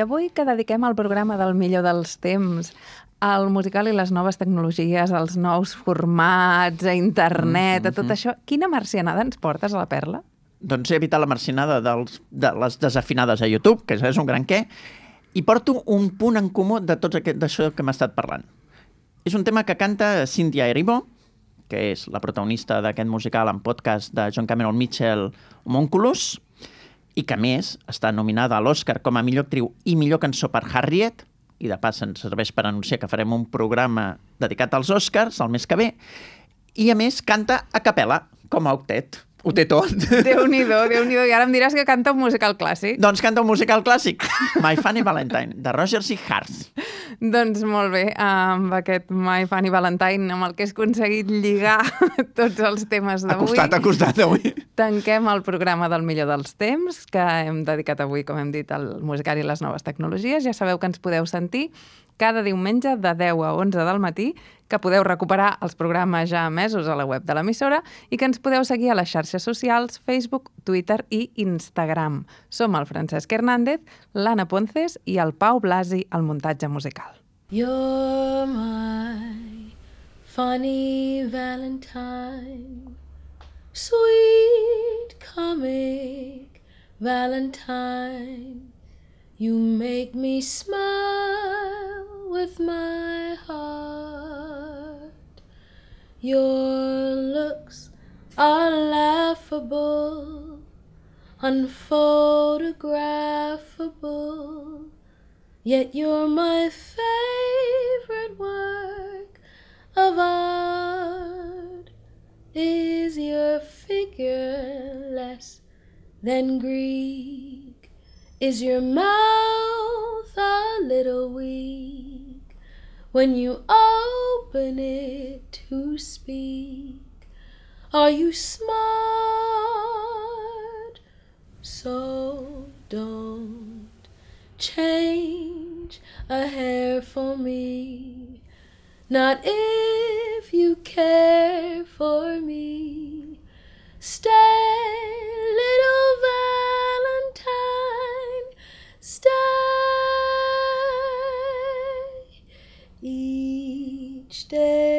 avui que dediquem el programa del millor dels temps al musical i les noves tecnologies, als nous formats, a internet, a tot això, quina marcianada ens portes a la Perla? Doncs he evitat la marcinada de les desafinades a YouTube, que és un gran què, i porto un punt en comú de tot això que m'ha estat parlant. És un tema que canta Cynthia Erivo, que és la protagonista d'aquest musical en podcast de John Cameron Mitchell, Homunculus, i que, a més, està nominada a l'Oscar com a millor actriu i millor cançó per Harriet, i de pas ens serveix per anunciar que farem un programa dedicat als Oscars el mes que ve, i, a més, canta a capella, com a octet. Ho té tot. Déu-n'hi-do, Déu-n'hi-do. I ara em diràs que canta un musical clàssic. Doncs canta un musical clàssic, My Funny Valentine, de Roger C. Hart. Doncs molt bé, amb aquest My Funny Valentine, amb el que has aconseguit lligar tots els temes d'avui. Ha costat avui. Tanquem el programa del millor dels temps, que hem dedicat avui, com hem dit, al musical i les noves tecnologies. Ja sabeu que ens podeu sentir cada diumenge de 10 a 11 del matí, que podeu recuperar els programes ja emesos a la web de l'emissora i que ens podeu seguir a les xarxes socials, Facebook, Twitter i Instagram. Som el Francesc Hernández, l'Anna Ponces i el Pau Blasi al muntatge musical. You're my funny Valentine, sweet comic Valentine. You make me smile with my heart. Your looks are laughable, unphotographable, yet you're my favorite work of art. Is your figure less than Greek? Is your mouth a little weak when you open it to speak? Are you smart? So don't change a hair for me, not if you care for me. Stay, little Valentine, stay. Each day